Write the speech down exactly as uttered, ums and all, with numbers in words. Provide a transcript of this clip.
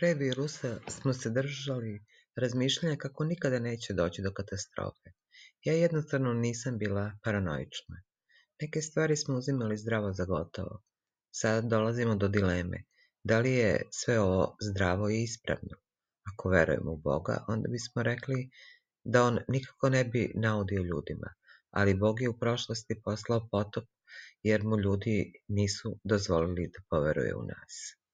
pre virusa smo se držali razmišljanja kako nikada neće doći do katastrofe. Ja jednostavno nisam bila paranoična. Neke stvari smo uzimali zdravo za gotovo. Sad dolazimo do dileme. Da li je sve ovo zdravo i ispravno? Ako verujemo u Boga, onda bismo rekli da on nikako ne bi naudio ljudima, ali Bog je u prošlosti poslao potop jer mu ljudi nisu dozvolili da poveruje u nas.